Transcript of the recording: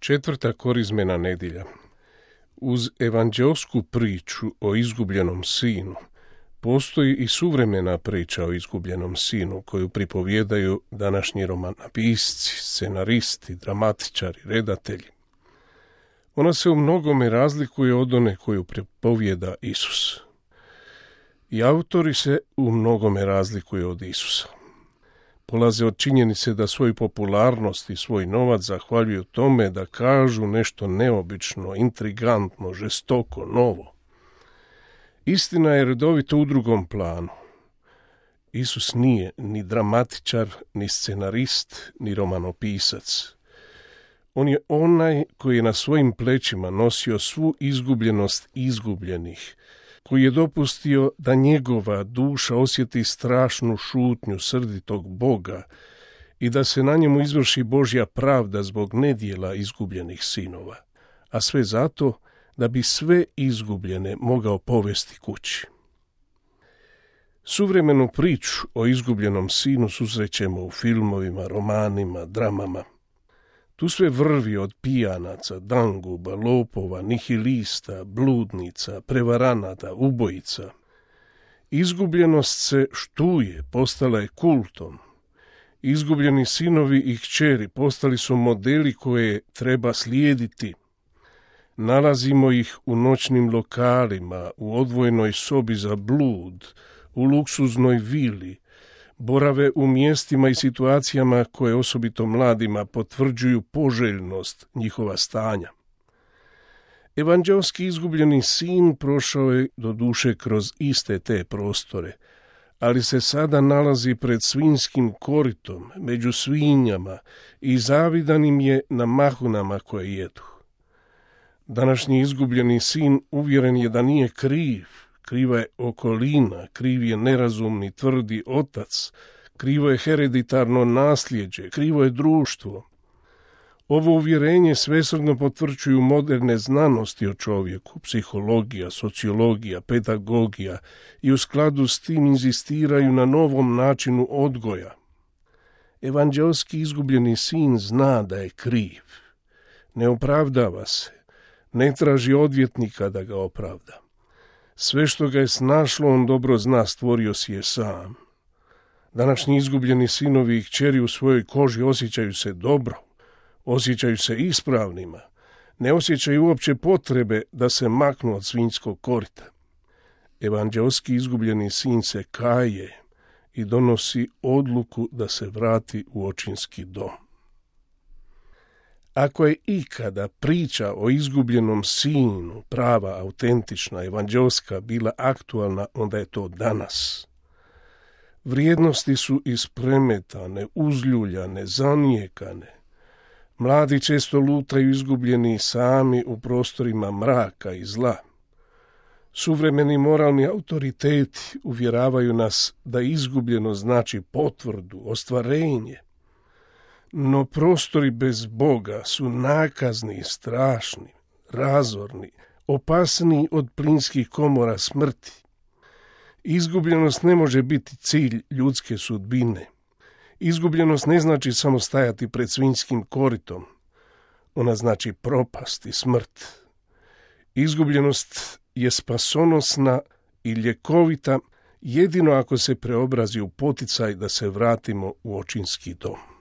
Četvrta korizmena nedjelja. Uz evanđelsku priču o izgubljenom sinu postoji i suvremena priča o izgubljenom sinu koju pripovijedaju današnji romanopisci, scenaristi, dramatičari, redatelji. Ona se u mnogome razlikuje od one koju pripovijeda Isus. I autori se u mnogome razlikuju od Isusa. Polaze od činjenice da svoju popularnost i svoj novac zahvaljuju tome da kažu nešto neobično, intrigantno, žestoko, novo. Istina je redovito u drugom planu. Isus nije ni dramatičar, ni scenarist, ni romanopisac. On je onaj koji je na svojim plećima nosio svu izgubljenost izgubljenih, koji je dopustio da njegova duša osjeti strašnu šutnju srditog Boga i da se na njemu izvrši Božja pravda zbog nedjela izgubljenih sinova, a sve zato da bi sve izgubljene mogao povesti kući. Suvremenu priču o izgubljenom sinu susrećemo u filmovima, romanima, dramama. Tu sve vrvi od pijanaca, danguba, lopova, nihilista, bludnica, prevaranata, ubojica. Izgubljenost se štuje, postala je kultom. Izgubljeni sinovi i kćeri postali su modeli koje treba slijediti. Nalazimo ih u noćnim lokalima, u odvojenoj sobi za blud, u luksuznoj vili, borave u mjestima i situacijama koje osobito mladima potvrđuju poželjnost njihova stanja. Evanđelski izgubljeni sin prošao je do duše kroz iste te prostore, ali se sada nalazi pred svinjskim koritom, među svinjama i zavidan im je na mahunama koje jedu. Današnji izgubljeni sin uvjeren je da nije kriv. Kriva je okolina, kriv je nerazumni, tvrdi otac, krivo je hereditarno nasljeđe, krivo je društvo. Ovo uvjerenje svesrdno potvrđuju moderne znanosti o čovjeku, psihologija, sociologija, pedagogija i u skladu s tim inzistiraju na novom načinu odgoja. Evanđelski izgubljeni sin zna da je kriv. Ne opravdava se, ne traži odvjetnika da ga opravda. Sve što ga je snašlo, on dobro zna, stvorio si je sam. Današnji izgubljeni sinovi i kćeri u svojoj koži osjećaju se dobro, osjećaju se ispravnima, ne osjećaju uopće potrebe da se maknu od svinjskog korita. Evanđelski izgubljeni sin se kaje i donosi odluku da se vrati u očinski dom. Ako je ikada priča o izgubljenom sinu, prava, autentična, evanđelska, bila aktualna, onda je to danas. Vrijednosti su ispremetane, uzljuljane, zanijekane. Mladi često lutaju izgubljeni sami u prostorima mraka i zla. Suvremeni moralni autoriteti uvjeravaju nas da izgubljeno znači potvrdu, ostvarenje. No prostori bez Boga su nakazni, strašni, razorni, opasniji od plinskih komora smrti. Izgubljenost ne može biti cilj ljudske sudbine. Izgubljenost ne znači samo stajati pred svinjskim koritom. Ona znači propast i smrt. Izgubljenost je spasonosna i ljekovita jedino ako se preobrazi u poticaj da se vratimo u očinski dom.